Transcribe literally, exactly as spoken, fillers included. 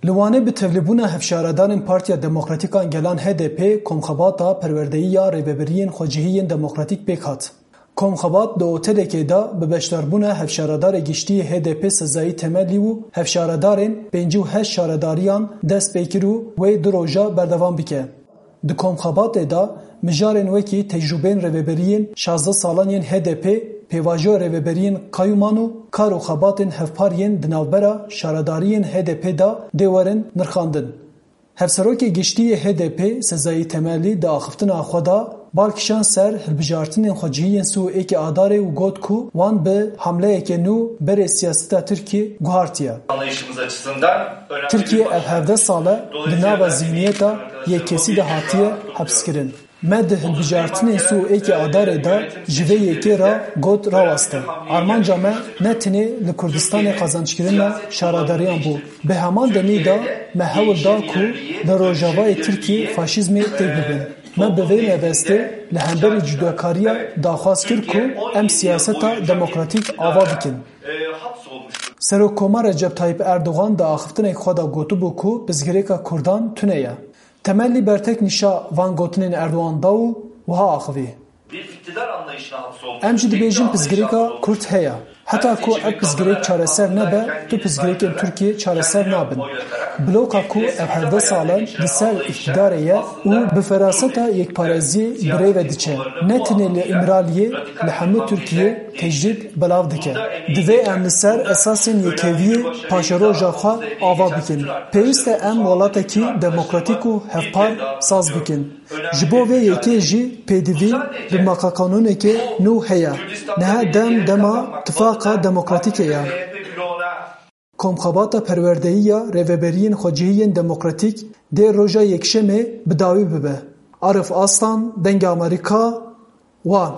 Li Wanê bi tevlîbûna hevşaredarên Partiya Demokratîk a Gelan H D P komxebata perwerdeyî ya rêveberiyên xwecihî yên demokratîk pêk hat. Komxebat di otelekê de bi beşdarbûna hevşaredarê giştî yê H D P Sezayî Temelî û hevşaredarên pêncî û heşt şaredariyan dest pê kir û wê du roja berdewam bike. Di komxebatê de mijarên wekî tecrûbeyên rêveberiyên şazdeh salan yên H D P, pêvajoya rêveberiyên qayûman û kar û xebatên hevpar yên di navbera şaredariyên H D P de dê werin nirxandin. Hevserokê giştî yê H D P Sezayî Temelî di axiftina xwe de bal kişand ser hilbijartinên xwecihî yên sî û êkê Adarê û got ku wan bi hamleyeke nû berê siyaseta Tirkiyê guhartiye. Anlayışımız açısından önemli Tirkiye bir ev hevdeh sal e di nava zihniyeta yek kesî de hatiye hepskirin. Me di hilbijartinên sî û êkê Adarê de ji vê yekê re got raweste. Armanca me ne tenê li Kurdistanê qazanckirina şaredariyan bû. Bi heman demî de me hewl da ku li rojavayê Tirkiyê faşîzmê têk bibin. Me bi vê mebestê li hemberî cudakariya daxwaz kir ku em siyaseta demokratîk ava bikin. Serokkomar Recep Tayyip Erdogan di axiftinek xwe de gotibû ku pirsgirêka Kurdan tune ye. Temelî bertek nîşa van gotinên Erdogan da û wiha axivî. Em jî dibêjin pirsgirêka Kurd heye. Heta ku ev pirsgirêk çareser nebe, tu pirsgirêkên Tirkiyê çareser nabin. Bloka ku ev hevdeh sal e li ser îqtidarê ye û bi feraseta yekparêziyê bi rê ve diçe. Ne tenê li Îmraliyê, li hemû Tirkiyê tecrîd belav dike. Divê em li ser esasên yekeviyê paşeroja xwe ava bikin. Pêwîst e em welatekî demokratîk û hevpar saz bikin. Ji bo vê yekê jî pêdivî bi maqakanûneke nû heye. Niha dem dema tifaqa demokratîkê ye. Komxebata perwerdeyî ya rêveberiyên xwecihî yên demokratîk dê roja Yekşemê bi dawî bibe. Arif Aslan, Dengê Amerîka, Wan.